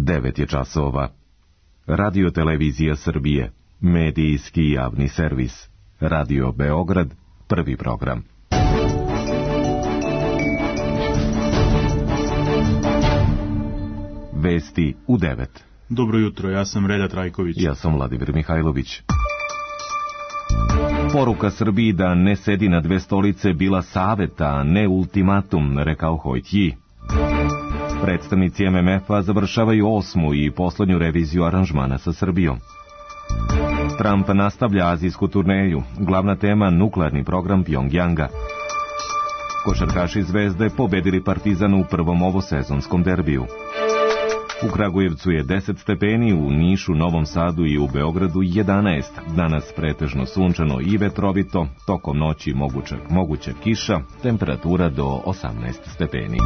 9 je časova. Radio Televizija Srbije, medijski javni servis. Radio Beograd, prvi program. Vesti u 9. Dobro jutro, ja sam Reda Trajković. Ja sam Vladimir Mihajlović. Poruka Srbiji da ne sedi na dve stolice bila saveta, a ne ultimatum, rekao Hoj Tji. Predstavnici MMF-a završavaju 8. i poslednju reviziju aranžmana sa Srbijom. Trump nastavlja azijsku turneju, glavna tema nuklearni program Pjongjanga. Košarkaši Zvezde pobedili Partizan u prvom ovosezonskom derbiju. U Kragujevcu je 10 stepeni, u Nišu, Novom Sadu i u Beogradu 11. Danas pretežno sunčano i vetrovito, tokom noći moguća kiša, temperatura do 18 stepeni.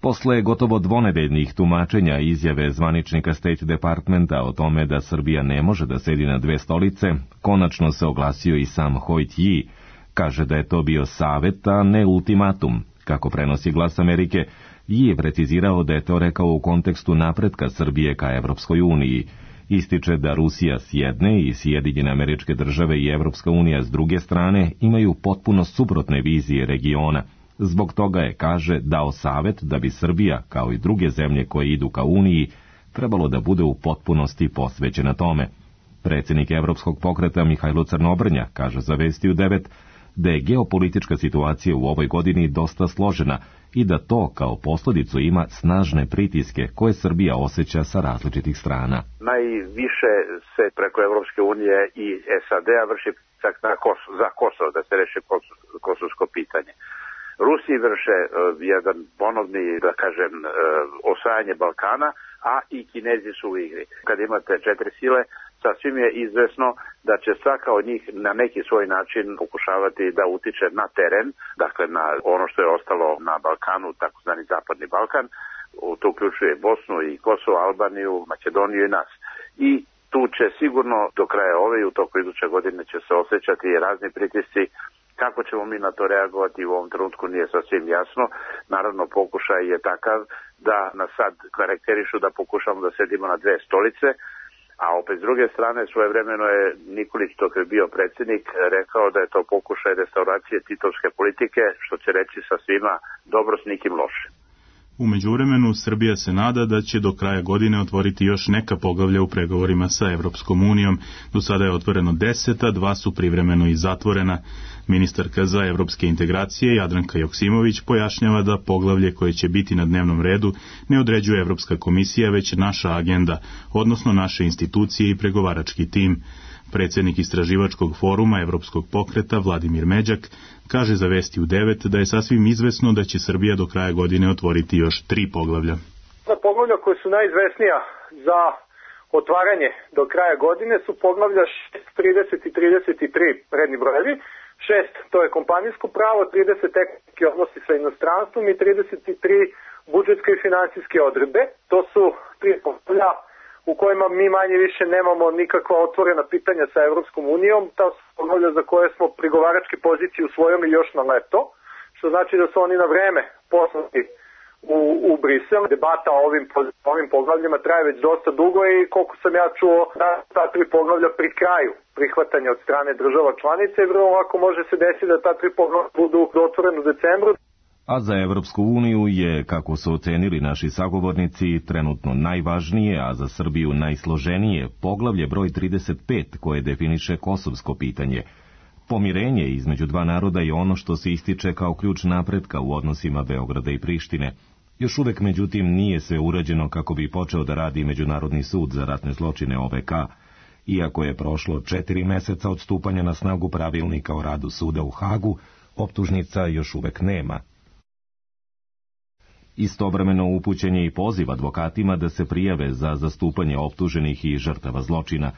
Posle gotovo dvonedeljnih tumačenja izjave zvaničnika State Departmenta o tome da Srbija ne može da sedi na dve stolice, konačno se oglasio i sam Hoj Tji. Kaže da je to bio savet, a ne ultimatum. Kako prenosi Glas Amerike, Yi je precizirao da je to rekao u kontekstu napretka Srbije ka Evropskoj uniji. Ističe da Rusija s jedne i Sjedinjene Američke Države i Evropska unija s druge strane imaju potpuno suprotne vizije regiona. Zbog toga je, kaže, dao savet da bi Srbija, kao i druge zemlje koje idu ka Uniji, trebalo da bude u potpunosti posvećena tome. Predsjednik Evropskog pokreta Mihajlo Crnobrnja kaže za Vesti u 9 da je geopolitička situacija u ovoj godini dosta složena i da to kao posljedicu ima snažne pritiske koje Srbija osjeća sa različitih strana. Najviše se preko Evropske unije i SAD-a vrši za Kosovo, da se reši kosovsko pitanje. Rusiji vrše jedan ponovni, da kažem, osvajanje Balkana, a i Kinezi su u igri. Kad imate 4 sile, sasvim je izvesno da će svaka od njih na neki svoj način pokušavati da utiče na teren, dakle na ono što je ostalo na Balkanu, takozvani Zapadni Balkan. To uključuje Bosnu i Kosovo, Albaniju, Makedoniju i nas. I tu će sigurno do kraja ove i u toku iduće godine će se osjećati razni pritisci. Kako ćemo mi na to reagovati u ovom trenutku nije sasvim jasno. Naravno, pokušaj je takav da nas sad karakterišu da pokušamo da sedimo na dve stolice, a opet s druge strane svojevremeno je Nikolić, dok je bio predsjednik, rekao da je to pokušaj restauracije titovske politike, što će reći sa svima dobro, s nikim loše. U međuvremenu, Srbija se nada da će do kraja godine otvoriti još neka poglavlja u pregovorima sa Evropskom unijom. Do sada je otvoreno 10, a 2 su privremeno i zatvorena. Ministarka za evropske integracije Jadranka Joksimović pojašnjava da poglavlje koje će biti na dnevnom redu ne određuje Evropska komisija, već naša agenda, odnosno naše institucije i pregovarački tim. Predsjednik istraživačkog foruma Evropskog pokreta Vladimir Međak kaže za Vesti u 9 da je sasvim izvesno da će Srbija do kraja godine otvoriti još 3 poglavlja. Poglavlja koje su najizvesnija za otvaranje do kraja godine su poglavlja 6, 30 i 33 redni brojevi. 6 to je kompanijsko pravo, 30 ekonomski odnosi sa inostranstvom i 33 budžetske i financijske odredbe. To su 3 poglavlja u kojima mi manje više nemamo nikakva otvorena pitanja sa Evropskom unijom, ta su poglavlja za koje smo pregovaračke pozicije usvojili još na leto, što znači da su oni na vreme poslati u Brisel. Debata o ovim poglavljima traje već dosta dugo i koliko sam ja čuo, da ta 3 poglavlja pri kraju prihvatanja od strane država članica i vrlo lako može se desiti da ta 3 poglavlja budu otvorene u decembru. A za Evropsku uniju je, kako su ocenili naši sagovornici, trenutno najvažnije, a za Srbiju najsloženije, poglavlje broj 35 koje definiše kosovsko pitanje. Pomirenje između dva naroda je ono što se ističe kao ključ napretka u odnosima Beograda i Prištine. Još uvek, međutim, nije sve urađeno kako bi počeo da radi Međunarodni sud za ratne zločine OVK, iako je prošlo 4 meseca od stupanja na snagu pravilnika o radu suda u Hagu, optužnica još uvek nema. Istovremeno upućen je i poziv advokatima da se prijave za zastupanje optuženih i žrtava zločina.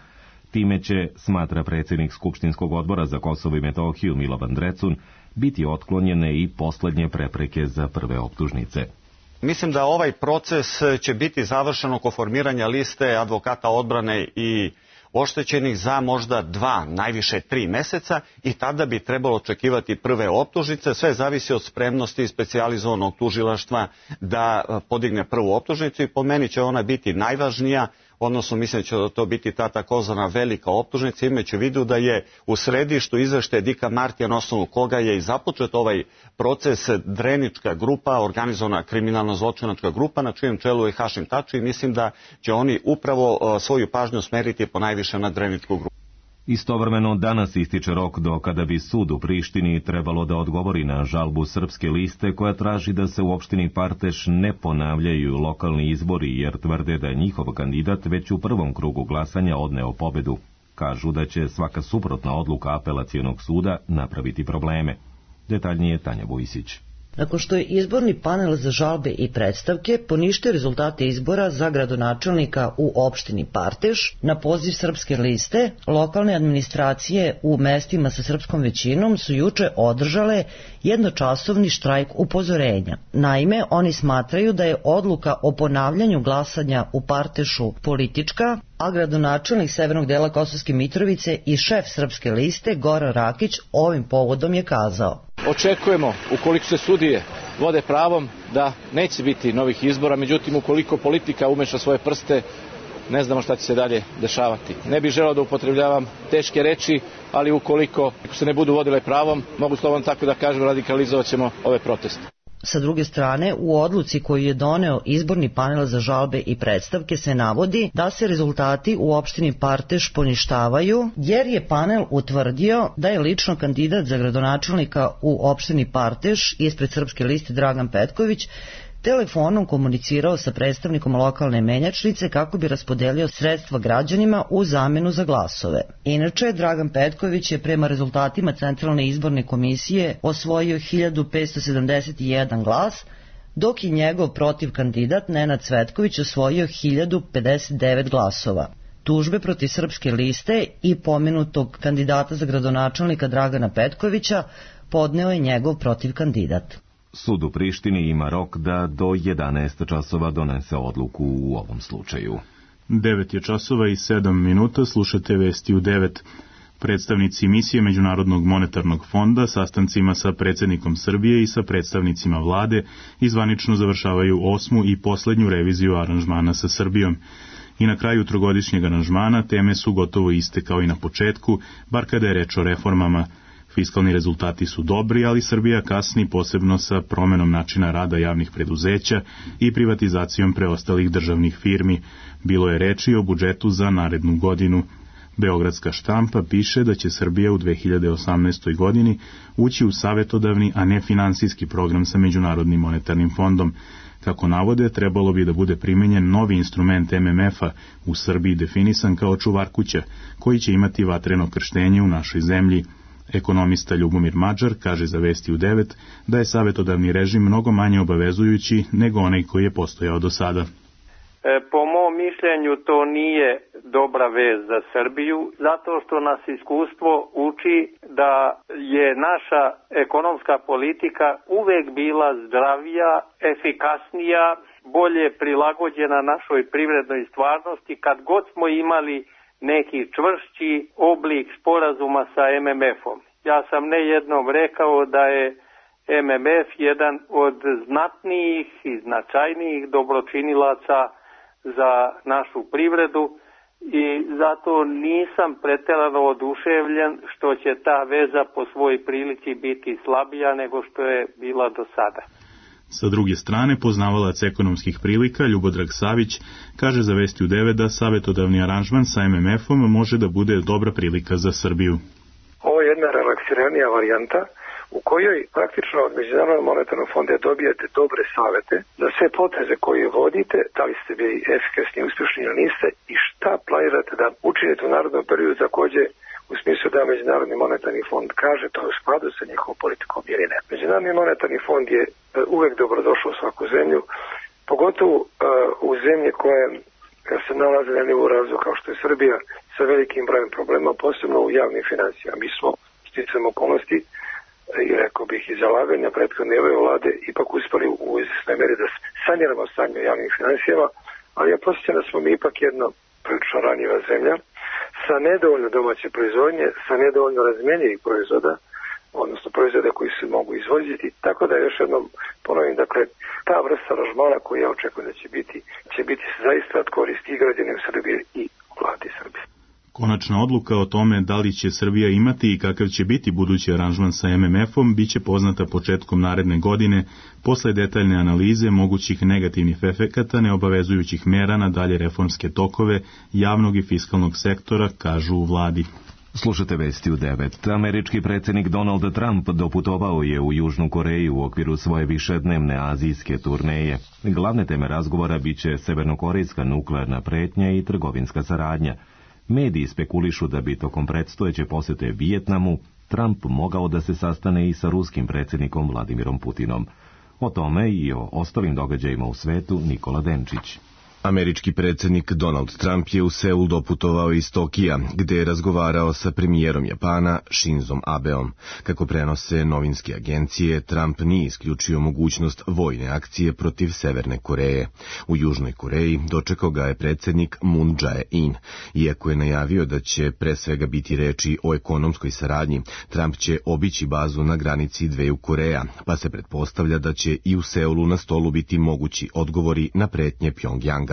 Time će, smatra predsjednik Skupštinskog odbora za Kosovo i Metohiju Milovan Drecun, biti otklonjene i poslednje prepreke za prve optužnice. Mislim da ovaj proces će biti završen oko formiranja liste advokata odbrane i oštećenih za možda 2, najviše 3 meseca i tada bi trebalo očekivati prve optužnice. Sve zavisi od spremnosti specijalizovanog tužilaštva da podigne prvu optužnicu i po meni će ona biti najvažnija, odnosno mislim da će to biti ta takozvana velika optužnica, imajući u vidu da je u središtu izveštaja Dika Martija, na osnovu koga je i započet ovaj proces, Drenička grupa, organizovana kriminalno zločinačka grupa na čijem čelu je Hašim Tači, i mislim da će oni upravo svoju pažnju usmeriti ponajviše na Dreničku grupu. Istovremeno danas ističe rok do kada bi sud u Prištini trebalo da odgovori na žalbu Srpske liste koja traži da se u opštini Parteš ne ponavljaju lokalni izbori jer tvrde da je njihov kandidat već u prvom krugu glasanja odneo pobedu. Kažu da će svaka suprotna odluka apelacionog suda napraviti probleme. Detaljnije Tanja Vujsić. Nakon što je izborni panel za žalbe i predstavke poništio rezultate izbora za gradonačelnika u opštini Parteš, na poziv Srpske liste, lokalne administracije u mestima sa srpskom većinom su juče održale jednočasovni štrajk upozorenja. Naime, oni smatraju da je odluka o ponavljanju glasanja u Partešu politička, a gradonačelnik severnog dela Kosovske Mitrovice i šef Srpske liste Goran Rakić ovim povodom je kazao: Očekujemo, ukoliko se sudije vode pravom, da neće biti novih izbora, međutim ukoliko politika umeša svoje prste, ne znamo šta će se dalje dešavati. Ne bih želeo da upotrebljavam teške reči, ali ukoliko se ne budu vodile pravom, mogu slobodno tako da kažem, radikalizovat ćemo ove proteste. Sa druge strane, u odluci koju je doneo izborni panel za žalbe i predstavke se navodi da se rezultati u opštini Parteš poništavaju, jer je panel utvrdio da je lično kandidat za gradonačelnika u opštini Parteš ispred Srpske liste Dragan Petković telefonom komunicirao sa predstavnikom lokalne menjačnice kako bi raspodelio sredstva građanima u zamenu za glasove. Inače, Dragan Petković je prema rezultatima Centralne izborne komisije osvojio 1571 glas, dok je njegov protiv kandidat Nenad Cvetković osvojio 1059 glasova. Tužbe protiv Srpske liste i pomenutog kandidata za gradonačelnika Dragana Petkovića podneo je njegov protiv kandidat. Sud u Prištini ima rok da do 11 časova donese odluku u ovom slučaju. 9 je časova i 7 minuta, slušate vesti u 9. Predstavnici misije Međunarodnog monetarnog fonda sastancima sa predsjednikom Srbije i sa predstavnicima vlade zvanično završavaju 8. i poslednju reviziju aranžmana sa Srbijom. I na kraju trogodišnjeg aranžmana teme su gotovo iste kao i na početku, bar kada je reč o reformama. Fiskalni rezultati su dobri, ali Srbija kasni posebno sa promenom načina rada javnih preduzeća i privatizacijom preostalih državnih firmi. Bilo je reči o budžetu za narednu godinu. Beogradska štampa piše da će Srbija u 2018. godini ući u savetodavni, a ne finansijski program sa Međunarodnim monetarnim fondom. Kako navode, trebalo bi da bude primenjen novi instrument MMF-a u Srbiji definisan kao čuvar kuća, koji će imati vatreno krštenje u našoj zemlji. Ekonomista Ljubomir Mađar kaže za Vesti u 9 da je savetodavni režim mnogo manje obavezujući nego onaj koji je postojao do sada. Po mom mišljenju to nije dobra vest za Srbiju, zato što nas iskustvo uči da je naša ekonomska politika uvek bila zdravija, efikasnija, bolje prilagođena našoj privrednoj stvarnosti kad god smo imali neki čvršći oblik sporazuma sa MMF-om. Ja sam nejednom rekao da je MMF jedan od znatnijih i značajnijih dobročinilaca za našu privredu i zato nisam preterano oduševljen što će ta veza po svojoj prilici biti slabija nego što je bila do sada. Sa druge strane, poznavalac ekonomskih prilika Ljubodrag Savić kaže za Vesti u 9 da savetodavni aranžman sa MMF-om može da bude dobra prilika za Srbiju. Ovo je jedna relaksiranija varijanta u kojoj praktično od Međunarodnog monetarnog fonda dobijate dobre savete za sve poteze koje vodite, da li ste bili efikasni, uspješni ili niste i šta planirate da učinite u narodnom periodu također u smislu da Međunarodni monetarni fond kaže to u skladu sa njihovom politikom ili ne. Međunarodni monetarni fond je uvek dobrodošao u svaku zemlju, pogotovo u zemlje koje se nalaze na nivou razvoja kao što je Srbija sa velikim brojem problema, posebno u javnim financijama. Mi smo sticam okolnosti i rekao bih i zalaganja prethodne ove vlade ipak uspeli u izvesnoj meri da saniramo stanje u javnim financijama, ali ja posjećam da smo mi ipak jedna prilično ranjiva zemlja sa nedovoljno domaće proizvodnje, sa nedovoljno razmenjivih proizvoda, odnosno proizvoda koji se mogu izvoziti, tako da još jednom ponovim, dakle, ta vrsta aranžmana koju ja očekujem da će biti zaista od koristi i građanima Srbije i vladi Srbije. Konačna odluka o tome da li će Srbija imati i kakav će biti budući aranžman sa MMF-om biće poznata početkom naredne godine posle detaljne analize mogućih negativnih efekata neobavezujućih mera na dalje reformske tokove javnog i fiskalnog sektora, kažu u vladi. Slušate vesti u 9. Američki predsjednik Donald Trump doputovao je u Južnu Koreju u okviru svoje višednevne azijske turneje. Glavne teme razgovora biće severnokorejska nuklearna pretnja i trgovinska saradnja. Mediji spekulišu da bi tokom predstojeće posete Vijetnamu Trump mogao da se sastane i sa ruskim predsjednikom Vladimirom Putinom. O tome i o ostalim događajima u svetu Nikola Denčić. Američki predsjednik Donald Trump je u Seul doputovao iz Tokija, gde je razgovarao sa premijerom Japana Shinzom Abeom. Kako prenose novinske agencije, Trump nije isključio mogućnost vojne akcije protiv Severne Koreje. U Južnoj Koreji dočekao ga je predsjednik Moon Jae-in. Iako je najavio da će pre svega biti reči o ekonomskoj saradnji, Trump će obići bazu na granici dveju Koreja, pa se pretpostavlja da će i u Seulu na stolu biti mogući odgovori na pretnje Pjongjanga.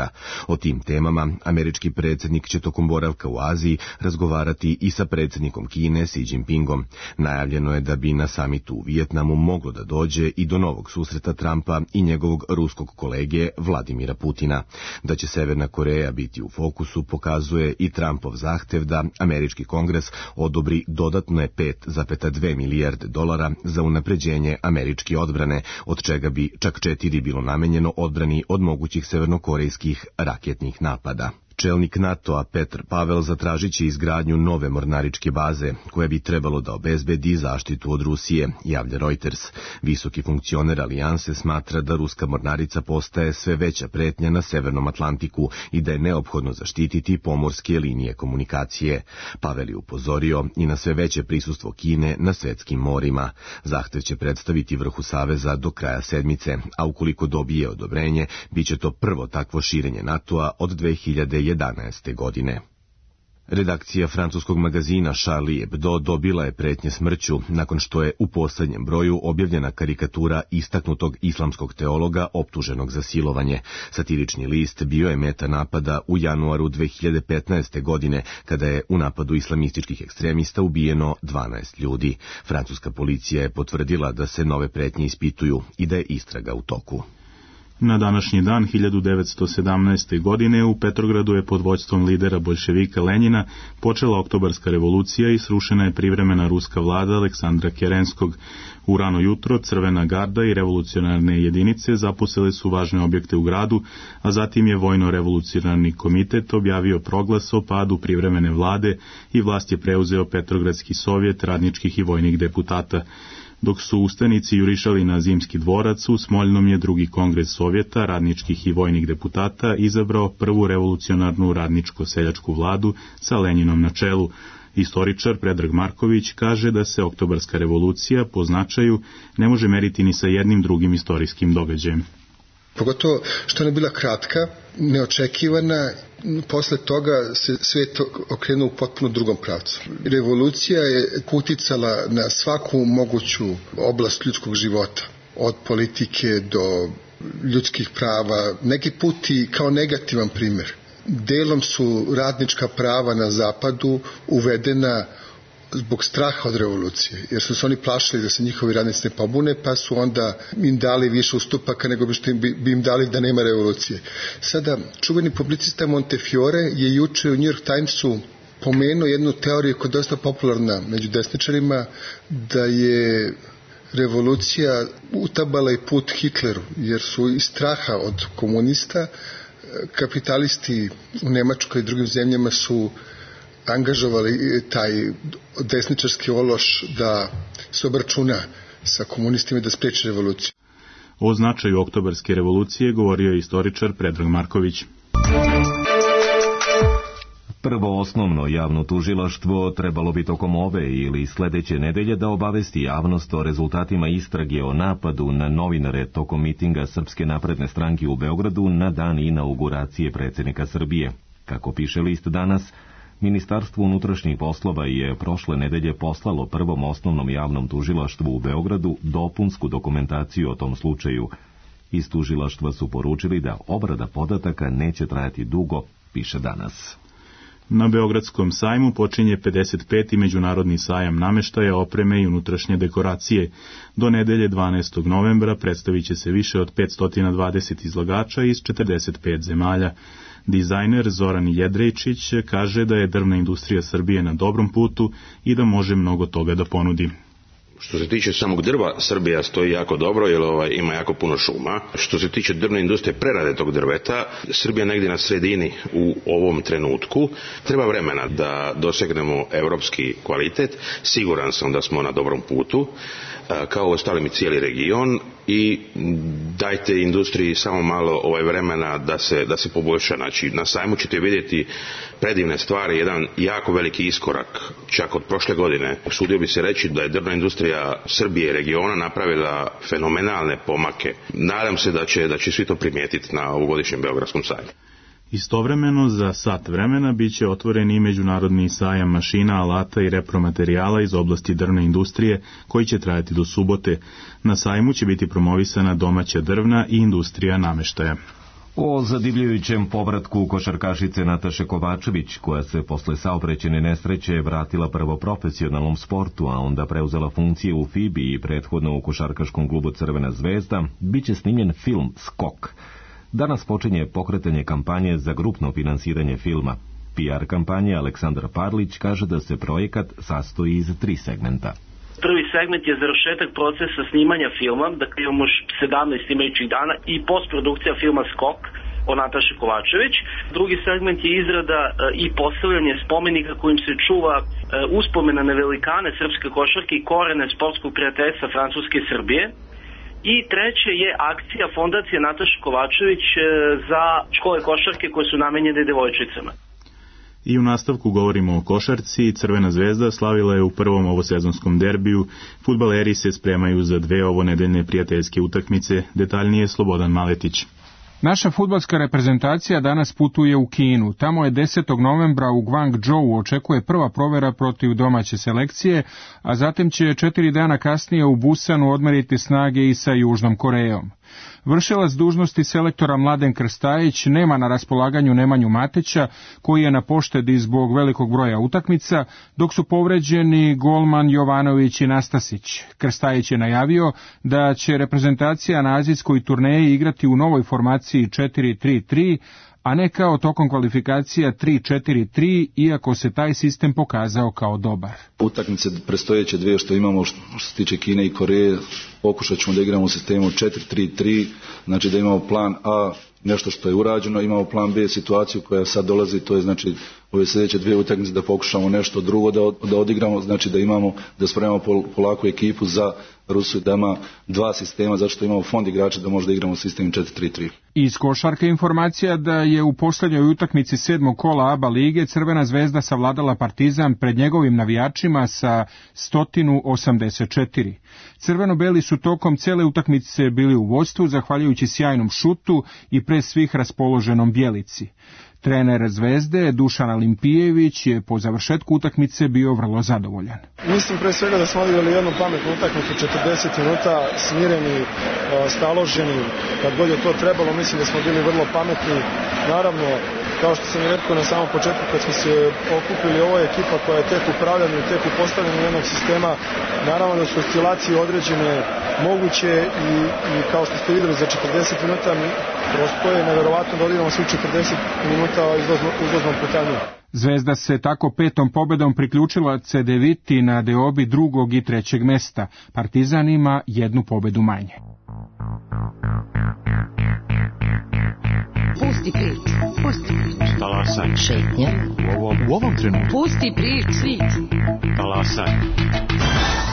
O tim temama američki predsjednik će tokom boravka u Aziji razgovarati i sa predsjednikom Kine Xi Jinpingom. Najavljeno je da bi na samitu u Vijetnamu moglo da dođe i do novog susreta Trumpa i njegovog ruskog kolege Vladimira Putina. Da će Severna Koreja biti u fokusu pokazuje i Trumpov zahtev da američki kongres odobri dodatne $5,2 milijarde za unapređenje američke odbrane, od čega bi čak 4 bilo namenjeno odbrani od mogućih severnokorejskih raketnih napada. Čelnik NATO-a Petr Pavel zatražit će izgradnju nove mornaričke baze, koja bi trebalo da obezbedi zaštitu od Rusije, javlja Reuters. Visoki funkcioner alijanse smatra da ruska mornarica postaje sve veća pretnja na Severnom Atlantiku i da je neophodno zaštititi pomorske linije komunikacije. Pavel je upozorio i na sve veće prisustvo Kine na svetskim morima. Zahtev će predstaviti vrhu Saveza do kraja sedmice, a ukoliko dobije odobrenje, bit će to prvo takvo širenje NATO-a od 2011. godine. Redakcija francuskog magazina Charlie Hebdo dobila je pretnje smrću nakon što je u posljednjem broju objavljena karikatura istaknutog islamskog teologa optuženog za silovanje. Satirični list bio je meta napada u januaru 2015. godine, kada je u napadu islamističkih ekstremista ubijeno 12 ljudi. Francuska policija je potvrdila da se nove pretnje ispituju i da je istraga u toku. Na današnji dan 1917. godine u Petrogradu je pod vođstvom lidera boljševika Lenjina počela oktobarska revolucija i srušena je privremena ruska vlada Aleksandra Kerenskog. U rano jutro Crvena garda i revolucionarne jedinice zapustile su važne objekte u gradu, a zatim je Vojno-revolucionarni komitet objavio proglas o padu privremene vlade i vlast je preuzeo Petrogradski sovjet radničkih i vojnih deputata. Dok su ustanici jurišali na Zimski dvorac, u Smoljnom je drugi kongres Sovjeta, radničkih i vojnih deputata, izabrao prvu revolucionarnu radničko-seljačku vladu sa Lenjinom na čelu. Istoričar Predrag Marković kaže da se oktobarska revolucija po značaju ne može meriti ni sa jednim drugim istorijskim događajem. Pogotovo što ona je bila kratka, neočekivana, posle toga se svijet okrenuo u potpuno drugom pravcu. Revolucija je uticala na svaku moguću oblast ljudskog života, od politike do ljudskih prava, neki put i kao negativan primjer. Delom su radnička prava na zapadu uvedena zbog straha od revolucije, jer su se oni plašili da se njihovi radnici ne pobune, pa su onda im dali više ustupaka nego što bi im dali da nema revolucije. Sada, čuveni publicista Montefiore je juče u New York Timesu pomenuo jednu teoriju koja je dosta popularna među desničarima, da je revolucija utabala i put Hitleru, jer su iz straha od komunista kapitalisti u Nemačkoj i drugim zemljama su angažovali taj desničarski ološ da se obračuna sa komunistima i da spreči revoluciju. O značaju oktobarske revolucije govorio je istoričar Predrag Marković. Prvo osnovno javno tužilaštvo trebalo bi tokom ove ili sledeće nedelje da obavesti javnost o rezultatima istrage o napadu na novinare tokom mitinga Srpske napredne stranke u Beogradu na dan inauguracije predsjednika Srbije. Kako piše list Danas, Ministarstvo unutrašnjih poslova je prošle nedelje poslalo Prvom osnovnom javnom tužilaštvu u Beogradu dopunsku dokumentaciju o tom slučaju. Iz tužilaštva su poručili da obrada podataka neće trajati dugo, piše Danas. Na Beogradskom sajmu počinje 55. međunarodni sajam nameštaja, opreme i unutrašnje dekoracije. Do nedelje 12. novembra predstavit će se više od 520 izlagača iz 45 zemalja. Dizajner Zoran Jedrejčić kaže da je drvna industrija Srbije na dobrom putu i da može mnogo toga da ponudi. Što se tiče samog drva, Srbija stoji jako dobro jer ima jako puno šuma. Što se tiče drvne industrije, prerade tog drveta, Srbija negdje na sredini u ovom trenutku. Treba vremena da dosegnemo evropski kvalitet. Siguran sam da smo na dobrom putu, kao ostali mi cijeli region, i dajte industriji samo malo vremena da se poboljša. Znači, na sajmu ćete vidjeti predivne stvari, jedan jako veliki iskorak, čak od prošle godine. Usudio bi se reći da je drvna industrija Srbije i regiona napravila fenomenalne pomake. Nadam se da će svi to primijetiti na ovogodišnjem Beogradskom sajmu. Istovremeno, za sat vremena biće otvoren i međunarodni sajam mašina, alata i repromaterijala iz oblasti drvne industrije, koji će trajati do subote. Na sajmu će biti promovisana domaća drvna i industrija nameštaja. O zadivljujućem povratku košarkašice Nataše Kovačević, koja se posle saobraćajne nesreće vratila prvo profesionalnom sportu, a onda preuzela funkcije u FIBA i prethodno u košarkaškom klubu Crvena zvezda, biće snimljen film Skok. Danas počinje pokretanje kampanje za grupno finansiranje filma. PR kampanje Aleksandar Parlić kaže da se projekat sastoji iz 3 segmenta. Prvi segment je završetak procesa snimanja filma, dakle imamo 17 imajućih dana, i postprodukcija filma Skok o Nataši Kovačević. Drugi segment je izrada i postavljanje spomenika kojim se čuva uspomena na velikane srpske košarke i korene sportskog prijateljstva Francuske i Srbije. I treće je akcija fondacije Nataše Kovačević za škole košarke koje su namenjene devojčicama. I u nastavku govorimo o košarci. Crvena zvezda slavila je u prvom ovosezonskom derbiju. Fudbaleri se spremaju za 2 ovonedeljne prijateljske utakmice. Detaljnije Slobodan Maletić. Naša fudbalska reprezentacija danas putuje u Kinu. Tamo je 10. novembra u Guangzhou očekuje prva provera protiv domaće selekcije, a zatim će 4 dana kasnije u Busanu odmeriti snage i sa Južnom Korejom. Vršilac dužnosti selektora Mladen Krstajić nema na raspolaganju Nemanju Matića, koji je na poštedi zbog velikog broja utakmica, dok su povređeni golman Jovanović i Nastasić. Krstajić je najavio da će reprezentacija na azijskoj turneji igrati u novoj formaciji 4-3-3, a ne kao tokom kvalifikacija 3-4-3, iako se taj sistem pokazao kao dobar. Utakmice predstojeće 2 što imamo što se tiče Kine i Koreje, pokušat ćemo da igramo u sistemu 4-3-3, znači da imamo plan A, nešto što je urađeno, imamo plan B, situaciju koja sad dolazi, to je znači ove sljedeće 2 utakmice da pokušamo nešto drugo da odigramo, znači da spremamo polako ekipu za Rusiju, da ima 2 sistema, zato što imamo fond igrača da možda igramo sistem 4-3-3. Iz košarke informacija da je u posljednjoj utakmici 7. kola ABA lige Crvena zvezda savladala Partizan pred njegovim navijačima sa 184. Crveno-beli su tokom cele utakmice bili u vodstvu, zahvaljujući sjajnom šutu i pre svih raspoloženom Bjelici. Trener Zvezde Dušan Alimpijević je po završetku utakmice bio vrlo zadovoljan. Mislim pre svega da smo odigrali jednu pametnu utakmicu 40 minuta, smireni, staloženi, kad god je to trebalo, mislim da smo bili vrlo pametni. Naravno, kao što sam i rekao na samom početku kad smo se okupili, ovo je ekipa koja je tek u pravljanju, tek u postavljanju jednog sistema. Naravno da su oscilacije određene moguće i kao što ste vidjeli za 40 minuta prosto je neverovatno da odigramo svi 40 minuta uzlaznom putanju. Zvezda se tako 5. pobedom priključila Cedeviti na deobi 2. i 3. mesta. Partizan ima 1 pobedu manje. Pusti prič. Talasaj. Šetnja. U ovom trenutku. Pusti prič. Talasaj.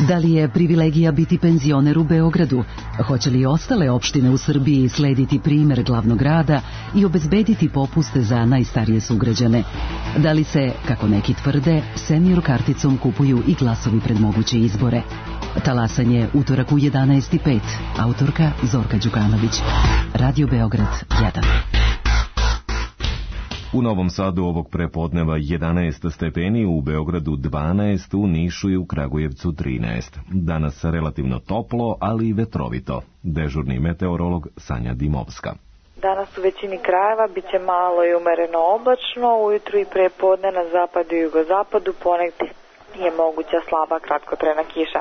Da li je privilegija biti penzioner u Beogradu? Hoće li ostale opštine u Srbiji slediti primer glavnog grada i obezbediti popuste za najstarije sugrađane? Da li se, kako neki tvrde, senior karticom kupuju i glasovi pred moguće izbore? Talasanje utorak u 11:05. Autorka Zorka Đukanović. Radio Beograd 1. U Novom Sadu ovog prepodneva 11 stepeni, u Beogradu 12, u Nišu i u Kragujevcu 13. Danas relativno toplo, ali i vetrovito. Dežurni meteorolog Sanja Dimovska. Danas u većini krajeva biće malo i umereno oblačno, ujutru i prepodne na zapadu i jugozapadu ponegdje je moguća slaba kratkotrajna kiša.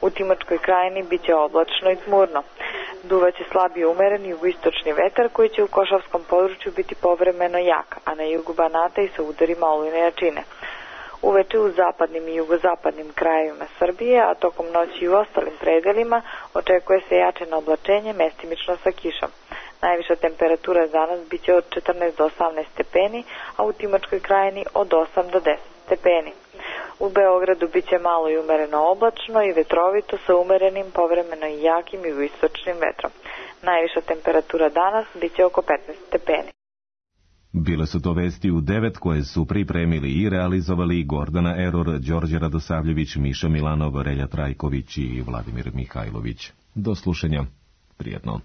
U Timočkoj krajini biće oblačno i tmurno. Duvaće slabi umereni jugoistočni vetar koji će u Košavskom području biti povremeno jak, a na jugu Banata i sa udarima olujne jačine. Uveče u zapadnim i jugozapadnim krajevima Srbije, a tokom noći i u ostalim predelima očekuje se jačeno oblačenje mestimično sa kišom. Najviša temperatura danas biće od 14 do 18 stepeni, a u Timočkoj krajini od 8 do 10 stepeni. U Beogradu biće malo i umereno oblačno i vetrovito sa umerenim, povremeno i jakim jugoistočnim vetrom. Najviša temperatura danas biće oko 15 stepeni. Bile su to vesti u 9 koje su pripremili i realizovali Gordana Eror, Đorđe Radosavljević, Miša Milanov, Relja Trajković i Vladimir Mihajlović. Do slušanja. Prijetno.